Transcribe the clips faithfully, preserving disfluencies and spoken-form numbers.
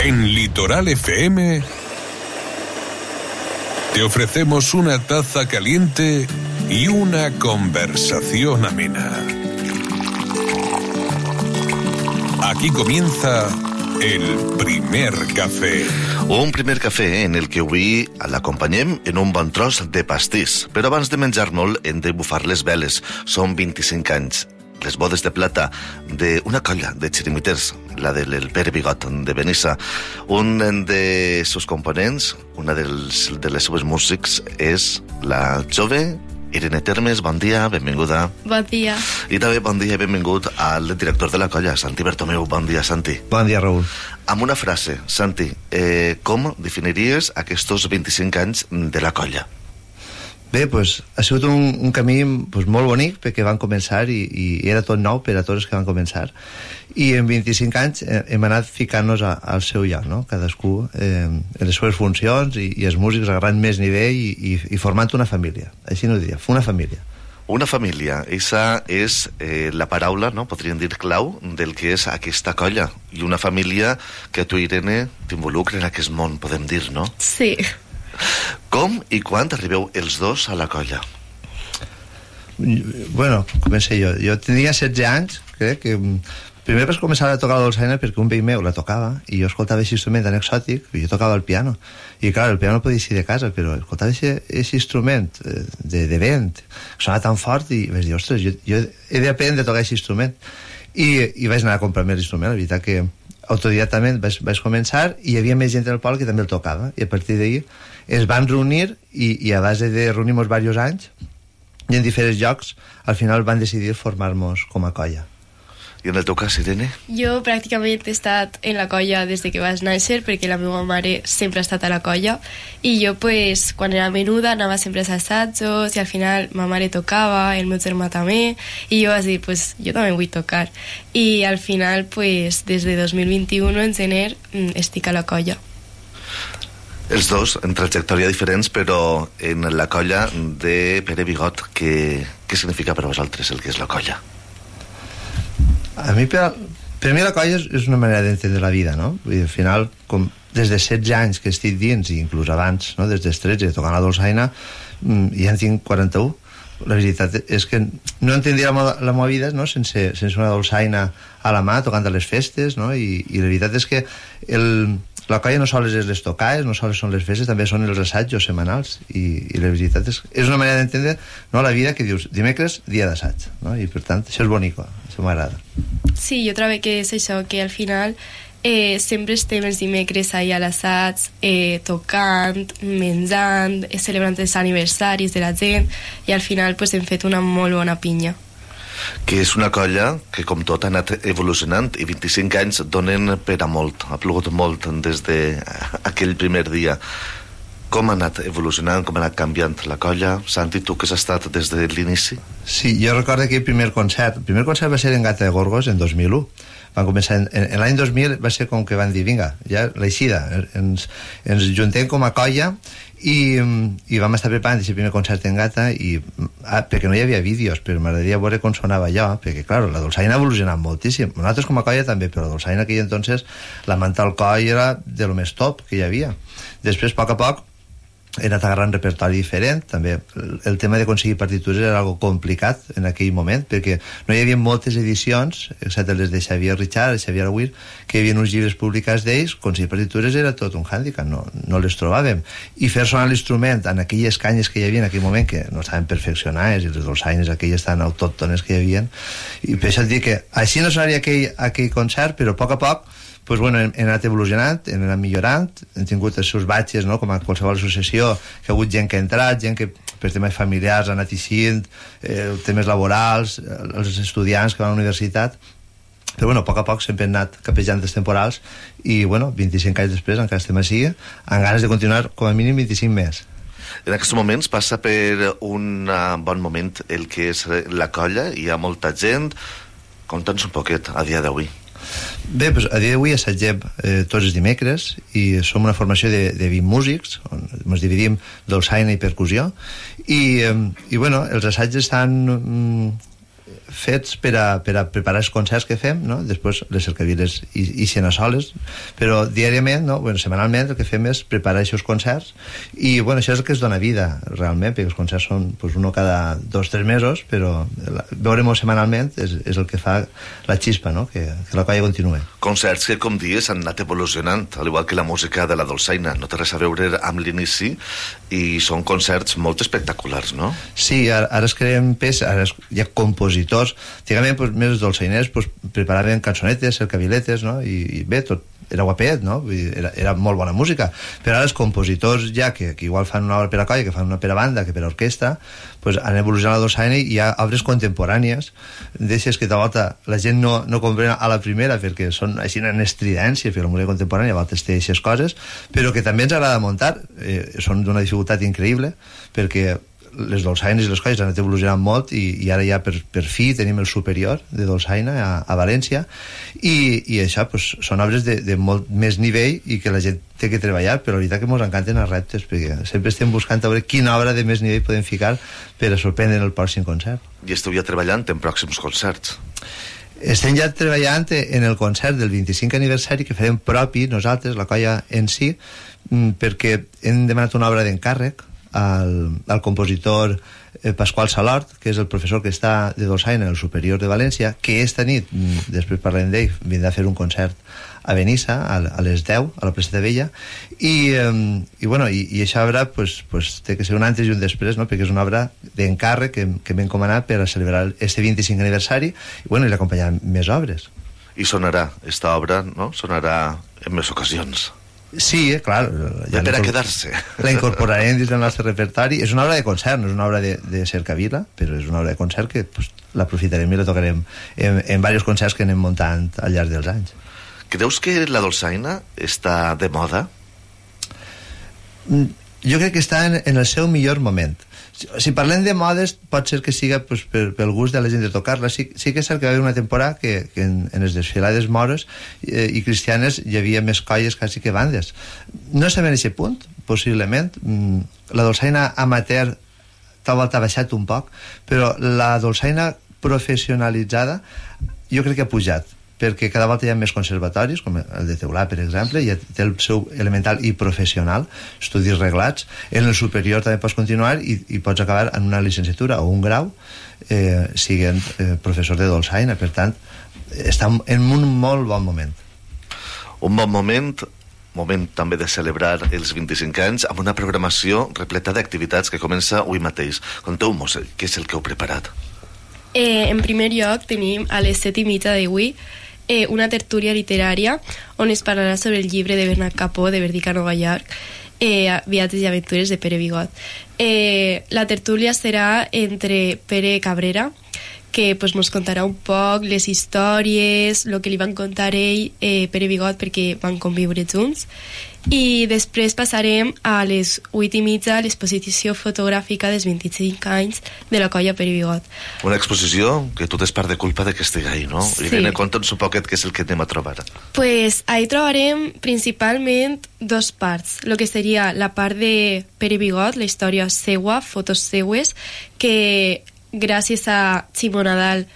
En Litoral F M te ofrecemos una taza caliente y una conversación amena. Aquí comienza el primer cafè. Un primer cafè en el que avui l'acompanyem en un bon tros de pastís. Però abans de menjar-nos hem de bufar les veles. Són vint-i-cinc anys. Les bodes de plata d'una colla de xirimiters, la del Pere Bigot de Benissa. Un de seus components, una dels, de les seves músics, és la jove Irene Termes. Bon dia, benvinguda. Bon dia. I també bon dia i benvingut al director de la colla, Santi Bertomeu. Bon dia, Santi. Bon dia, Raül. Amb una frase, Santi, eh, com definiries aquests vint-i-cinc anys de la colla? Bé, doncs, ha sigut un, un camí pues, molt bonic perquè van començar i, i era tot nou per a tots els que van començar, i en vint-i-cinc anys hem anat ficant-nos a, al seu lloc, no? Cadascú eh, en les seves funcions i, i els músics a gran més nivell i, i, i formant una família, així no ho diria, una família. Una família, esa és eh, la paraula, no? Podríem dir clau del que és aquesta colla, i una família que tu, Irene, t'involucra en aquest món, podem dir, no? Sí. Com i quan arribeu els dos a la colla? Bueno, comencé jo. Jo tenia setze anys, crec que... Primer vaig començar a tocar la dolçaina perquè un veí meu la tocava i jo escoltava aquest instrument tan exòtic, i jo tocava el piano. I clar, el piano no podia ser de casa, però escoltava aquest instrument de, de vent, que sonava tan fort, i vaig dir, ostres, jo, jo he d'aprendre a tocar aquest instrument. I, i vaig anar a comprar-me l'instrument. La veritat que autodidactament vaig, vaig començar, i hi havia més gent del poble que també el tocava, i a partir d'ahir es van reunir, i, i a base de reunir-nos diversos anys i en diferents llocs, al final van decidir formar-nos com a colla. I en el teu cas, Irene? Jo pràcticament he estat en la colla des de que vaig néixer, perquè la meva mare sempre ha estat a la colla, i jo, pues, quan era menuda, anava sempre als assajos, i al final ma mare tocava, el meu germà també, i jo vaig dir, pues, jo també vull tocar. I al final, pues, des de dos mil vint-i-u, en gener, estic a la colla. Els dos, en trajectòria diferents, però en la colla de Pere Bigot. Què, què significa per vosaltres el que és la colla? A mi, per, per mi la colla és, és una manera d'entendre la vida, no? Vull dir, al final, com des de setze anys que estic dins, i inclús abans, no? Des dels tretze, tocant la dolçaina, ja en tinc quaranta-u. La veritat és que no entendria la, la meva vida, no? sense, sense una dolçaina a la mà, tocant a les festes, no? I, i la veritat és que el... La colla no sols és les tocades, no sols són les festes, també són els assajos setmanals, i, i la veritat és és una manera d'entendre, no, la vida que dius dimecres, dia d'assaig, no? I per tant això és bonic, això m'agrada. Sí, jo trobo que és això, que al final eh, sempre estem els dimecres ahí a l'assaig, eh, tocant, menjant, eh, celebrant els aniversaris de la gent, i al final pues, hem fet una molt bona pinya. Que és una colla que, com tot, ha anat evolucionant, i vint-i-cinc anys donen per a molt. Ha plogut molt des d'aquell primer dia. Com ha anat evolucionant, com ha anat canviant la colla? Santi, tu que has estat des de l'inici? Sí, jo recordo aquell primer concert. El primer concert va ser en Gata de Gorgos en dos mil u. Van començar en, en, en l'any dos mil va ser com que van dir, vinga, ja l'eixida, ens, ens juntem com a colla, i, i vam estar preparant aquest primer concert en Gata, i, ah, perquè no hi havia vídeos, però m'agradaria veure com sonava allò, perquè clar, la dolçaina ha evolucionat moltíssim, nosaltres com a colla també, però la dolçaina aquell entonces, la manta al coll era de lo més top que hi havia. Després, a poc a poc, he anat agarrant repertori diferent. També el tema d'aconseguir partitures era algo complicat en aquell moment, perquè no hi havia moltes edicions, excepte les de Xavier Richard, Xavier Aguirre, que hi havia uns llibres publicats d'ells. Aconseguir partitures era tot un hàndicap, no, no les trobàvem, i fer sonar l'instrument en aquelles canyes que hi havia en aquell moment, que no estaven perfeccionades, i les dolçaines aquelles tan autòctones que hi havia, i per això et dic que així no sonaria aquell, aquell concert, però a poc a poc pues bueno, hem anat evolucionant, hem anat millorant, hem tingut els seus batxes, no? Com a qualsevol associació, que ha hagut gent que ha entrat, gent que per temes familiars ha anat eixint, eh, temes laborals, els estudiants que van a la universitat, però bueno, a poc a poc sempre hem anat capejant els temporals, i bueno, vint-i-cinc anys després encara estem així, amb ganes de continuar com a mínim vint-i-cinc més. En aquests moments passa per un bon moment el que és la colla, hi ha molta gent. Conta'ns un poquet a dia d'avui. Bé, doncs, a dia d'avui assagem eh, tots els dimecres, i som una formació de, de vint músics, on ens dividim dolçaina i percussió, i, eh, i bueno, els assaigs estan mm, fets per a, per a preparar els concerts que fem, no? Després les cercaviles i, i a soles, però diàriament, no? Bueno, setmanalment el que fem és preparar aquests concerts i bueno, això és el que es dona vida realment, perquè els concerts són pues, uno cada dos o tres mesos, però veure-ho setmanalment és, és el que fa la xispa, no? que, que la colla continuï. Concerts que, com dius, han anat evolucionant, al igual que la música de la dolçaina, no té res a veure amb l'inici i són concerts molt espectaculars, no? Sí, ara, ara es creen peces, ara es, hi ha compositors, antigament pues, més els dolçainers pues, preparaven cançonetes, cercaviletes, no? I, i bé, tot era guapet, no? Era, era molt bona música, però ara els compositors ja que, que igual fan una obra per a colla, que fan una per a banda, que per a orquestra, pues han evolucionat la dolçaina i hi ha obres contemporànies d'aixes que de volta la gent no, no comprèn a la primera perquè són així en estridències, perquè la música contemporània a voltes té aquestes coses, però que també ens agrada muntar, eh, són d'una dificultat increïble perquè les dolçaines i les colles han anat evolucionant molt i, i ara ja per, per fi tenim el superior de dolçaina a, a València i, i això pues, són obres de, de molt més nivell i que la gent té que treballar, però la veritat que ens encanten els reptes perquè sempre estem buscant a veure quina obra de més nivell podem ficar per a sorprendre el pròxim concert. I esteu ja treballant en pròxims concerts? Estem ja treballant en el concert del vint-i-cinquè aniversari que farem propi nosaltres, la colla en si, perquè hem demanat una obra d'encàrrec al, al compositor eh, Pasqual Salort, que és el professor que està de dolçaina en el Superior de València, que esta nit, després parlem d'ell, vindrà a fer un concert a Benissa a, a les deu, a la Placeta Vella i, eh, i, bueno, i, i aquesta obra pues, pues, té que ser un antes i un després, no? Perquè és una obra d'encàrrec que, que m'he encomanat per a celebrar este vint-i-cinquè aniversari i, bueno, i l'acompanyaran més obres. I sonarà, esta obra, no? Sonarà en més ocasions. Sí, eh, clar. Ja per a quedar-se. La incorporarem dins del nostre repertori. És una obra de concert, no és una obra de, de cercavila, però és una obra de concert que pues, l'aprofitarem i la tocarem en, en diversos concerts que anem muntant al llarg dels anys. Creus que la dolçaina està de moda? Jo crec que està en, en el seu millor moment. Si parlem de modes, pot ser que siga pues, per, pel gust de la gent de tocar-la. Sí, sí que és cert que va haver una temporada que, que en, en les desfilades mores eh, i cristianes hi havia més colles quasi que bandes. No sabem en aquest punt, possiblement. La dolçaina amateur tal volta ha baixat un poc, però la dolçaina professionalitzada jo crec que ha pujat, perquè cada volta hi ha més conservatoris, com el de Teulà, per exemple, i té el seu elemental i professional, estudis reglats. En el superior també pots continuar i, i pots acabar en una licenciatura o un grau eh, siguent eh, professor de dolçaina. Per tant, està en un molt bon moment. Un bon moment, moment també de celebrar els vint-i-cinc anys amb una programació repleta d'activitats que comença avui mateix. Conteu-nos, què és el que heu preparat? Eh, en primer lloc tenim a les set i mitja d'avui eh, una tertúlia literària on es parlarà sobre el llibre de Bernat Capó de Verdica Nova York, eh, Viatges i aventures de Pere Bigot. Eh, la tertúlia serà entre Pere Cabrera, que pues, mos contarà un poc les històries, el que li van contar ell, eh, Pere Bigot, perquè van conviure junts. I després passarem a les vuit i mitja a l'exposició fotogràfica dels vint-i-cinc anys de la colla Pere Bigot. Una exposició que tu tens part de culpa de que estigui ahí, no? Sí. Irene, conta'ns un poquet què és el que anem a trobar. Pues ahí trobarem principalment dos parts. Lo que seria la part de Pere Bigot, la història seua, fotos seues, que gràcies a Ximo Nadal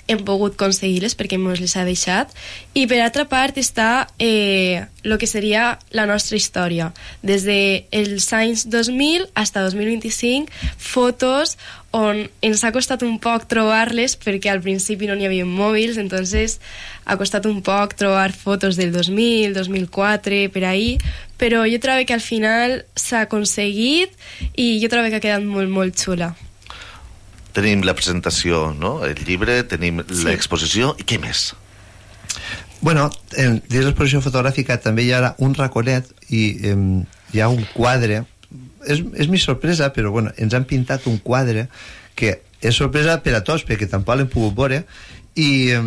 hem pogut aconseguir-les perquè ens les ha deixat, i per altra part està eh, el que seria la nostra història des dels anys dos mil fins a dos mil vint-i-cinc, fotos on ens ha costat un poc trobar-les perquè al principi no n'hi havia mòbils, entonces ha costat un poc trobar fotos del dos mil, dos mil quatre, per ahí, però jo trobo que al final s'ha aconseguit i jo trobo que ha quedat molt, molt xula. Tenim la presentació, no? El llibre, tenim sí. l'exposició, i què més? Bueno, en, dins l'exposició fotogràfica també hi ha un raconet i eh, hi ha un quadre. És, és mi sorpresa, però bueno, ens han pintat un quadre que és sorpresa per a tots, perquè tampoc l'hem pogut veure, i, eh,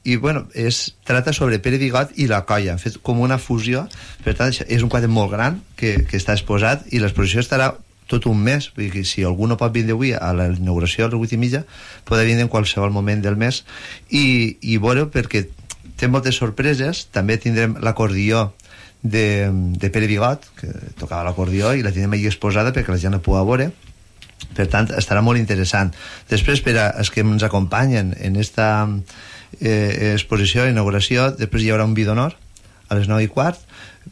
i bueno, es trata sobre Pere Bigot i la colla. Han fet com una fusió, per tant, és un quadre molt gran que, que està exposat, i l'exposició estarà tot un mes, perquè si algú no pot vindre avui a la inauguració a les vuit i mitja, podrà vindre en qualsevol moment del mes i, i veure, perquè té moltes sorpreses. També tindrem l'acordió de, de Pere Bigot, que tocava l'acordió, i la tindrem allà exposada perquè la gent la pugui veure, Per tant, estarà molt interessant. Després, per a els que ens acompanyen en esta eh, exposició, inauguració, després hi haurà un vi d'honor a les nou i quart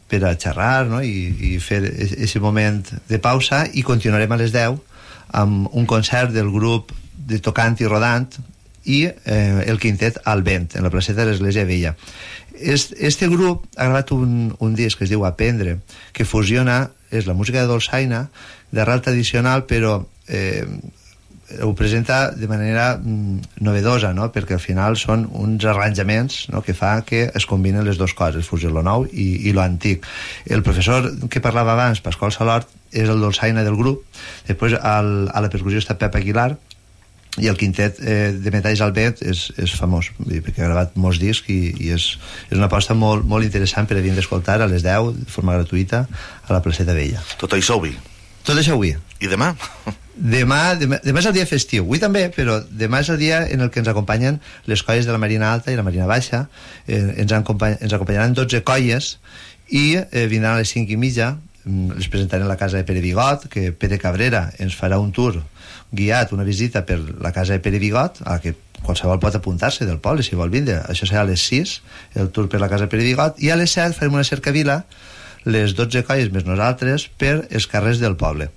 per a xerrar, no? I, i fer aquest moment de pausa, i continuarem a les deu amb un concert del grup de tocant i rodant i eh, el quintet al vent en la placeta de l'Església Vella. Est, este grup ha gravat un, un disc que es diu Aprendre, que fusiona, és la música de dolçaina d'arrel tradicional, però eh, ho presenta de manera mm, novedosa, no? Perquè al final són uns arranjaments, no? Que fa que es combinen les dues coses, fusió lo nou i, i lo antic. El professor que parlava abans, Pasqual Salort, és el dolçaina del grup. Després al, a la percussió està Pep Aguilar, i el quintet eh, de metalls al vent és, és famós, perquè ha gravat molts discs i, i és, és una aposta molt, molt interessant per a venir d'escoltar a les deu de forma gratuïta a la placeta Vella. Tot això avui? Tot això avui. I demà? Demà, demà, demà és el dia festiu, avui també, però demà és el dia en el que ens acompanyen les colles de la Marina Alta i la Marina Baixa. eh, ens, acompany, ens acompanyaran dotze colles i eh, vindran a les cinc i mitja. Les presentarem a la casa de Pere Bigot, que Pere Cabrera ens farà un tour guiat, una visita per la casa de Pere Bigot, a la que qualsevol pot apuntar-se del poble si vol vindre. Això serà a les sis, el tour per la casa de Pere Bigot, i a les set farem una cercavila, les dotze colles més nosaltres, per els carrers del poble.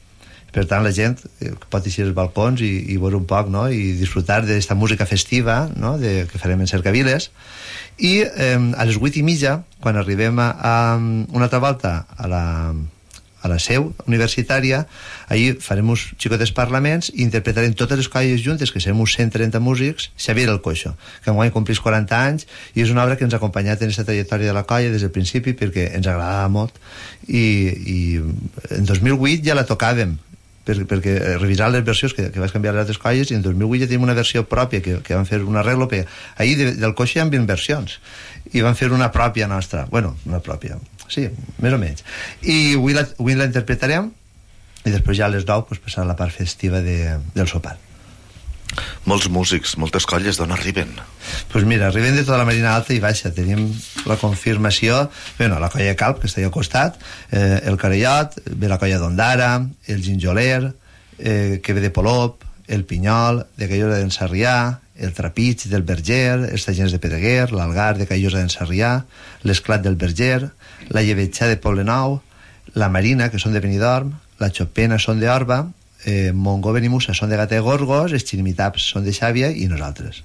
Per tant, la gent pot eixir als balcons i, i veure un poc, no? I disfrutar d'aquesta música festiva, no? De, que farem en cercaviles. I eh, a les vuit i mitja, quan arribem a, a una altra volta a la, a la seu universitària, allí farem uns xicotes parlaments i interpretarem totes les colles juntes, que serem uns cent trenta músics, Xavier el Coixo, que enguany complís quaranta anys, i és una obra que ens ha acompanyat en aquesta trajectòria de la colla des del principi, perquè ens agradava molt, i, i en dos mil vuit ja la tocàvem, per, perquè revisar les versions que, que vas canviar les altres colles, i en dos mil vuit ja tenim una versió pròpia que, que van fer un arreglo, perquè ahir de, del Coixo hi ha vint versions i van fer una pròpia nostra, bueno, una pròpia, sí, més o menys, i avui la, avui la interpretarem, i després ja a les nou pues, passar a la part festiva de, del sopar. Molts músics, moltes colles, d'on arriben? Doncs pues mira, arriben de tota la Marina Alta i Baixa. Tenim la confirmació, bueno, la colla Calp, que està allà al costat, eh, el Carellot, ve la colla d'Ondara, el Ginjoler, eh, que ve de Polop, el Pinyol, de Callosa d'en Sarrià, el Trapig del Berger, els Tallers de Pedreguer, l'Algar de Callosa d'en Sarrià, l'Esclat del Berger, la Llevetxà de Poblenou, la Marina, que són de Benidorm, la Chopena són d'Orba, eh, Montgoven i Musa són de Gata de Gorgos, els Xirimitats són de Xàbia i nosaltres.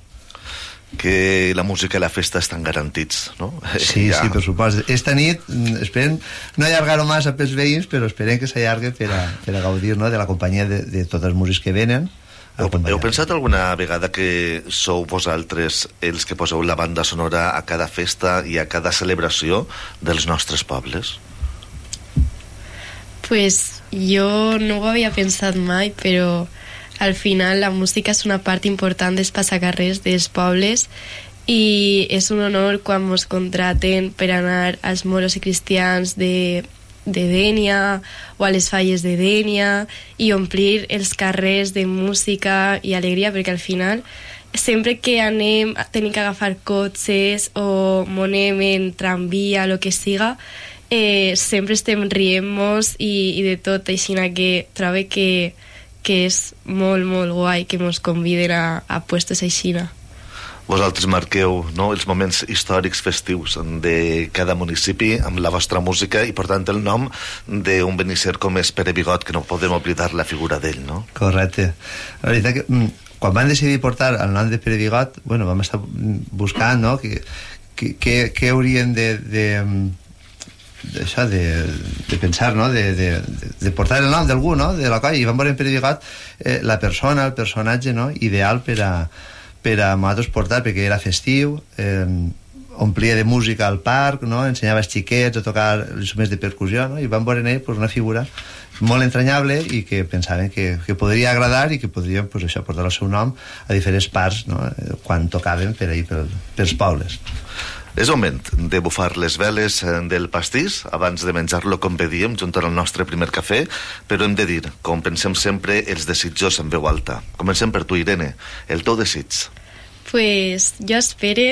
Que la música i la festa estan garantits, no? Sí, ja. Sí, per supost. Esta nit esperem no allargar-ho massa pels veïns, però esperem que s'allargue per a, per a gaudir, no?, de la companyia de, de tots els músics que venen. Heu, heu pensat alguna vegada que sou vosaltres els que poseu la banda sonora a cada festa i a cada celebració dels nostres pobles? Pues jo no ho havia pensat mai, però al final la música és una part important dels passacarrers dels pobles i és un honor quan ens contraten per anar als moros i cristians de, de Dénia o a les falles de Dénia i omplir els carrers de música i alegria, perquè al final sempre que anem tenim que agafar cotxes o monem en tramvia, el que siga, eh, sempre estem rient-nos i, i de tot, així que trobo que, que és molt, molt guai que ens conviden a, a puestos així. Vosaltres marqueu, no?, els moments històrics festius de cada municipi amb la vostra música i portant el nom d'un benisser com és Pere Bigot, que no podem oblidar la figura d'ell, no? Correcte. La veritat que quan van decidir portar el nom de Pere Bigot, bueno, vam estar buscant, no?, que, que, que, que haurien de... de d'això, de, de pensar, no?, de, de, de portar el nom d'algú, no?, de la colla, i van veure en Pere Bigot eh, la persona, el personatge, no?, ideal per a, per a nosaltres portar, perquè era festiu, eh, omplia de música al parc, no?, ensenyava als xiquets a tocar els instruments de percussió, no?, i van veure en ell pues, una figura molt entranyable i que pensaven que, que podria agradar i que podrien pues, això, portar el seu nom a diferents parts, no?, quan tocaven per ahir, per, pels pobles. És moment de bufar les veles del pastís abans de menjar-lo, com bé diem, junt al nostre primer cafè, però hem de dir, com pensem sempre, els desitjos en veu alta. Comencem per tu, Irene. El teu desig? Pues jo espero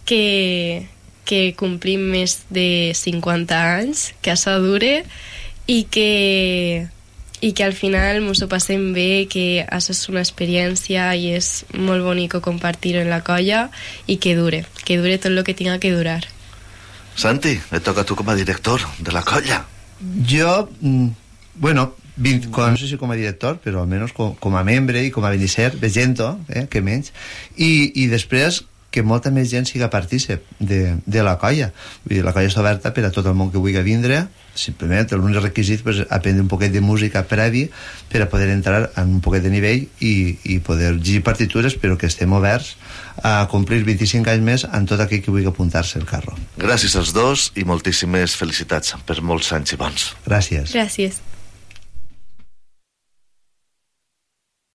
que, que complim més de cinquanta anys, que això dure i que, i que al final mos ho passem bé, que això és una experiència i és molt bonic compartir-ho en la colla i que dure, que dure tot el que tinga que durar. Santi, et toca a tu com a director de la colla. Jo, mm, bueno, vint, com, no sé si com a director, però almenys com, com a membre i com a benisser, veient-ho, eh, que menys, i, i després que molta més gent siga partícip de, de la colla. Vull dir, la colla està oberta per a tot el món que vulgui vindre, simplement l'únic requisit pues, aprendre un poquet de música previ per a poder entrar en un poquet de nivell i, i poder llegir partitures, però que estem oberts a complir vint-i-cinc anys més en tot aquell que vulgui apuntar-se al carro. Gràcies als dos i moltíssimes felicitats per molts anys i bons. Gràcies. Gràcies.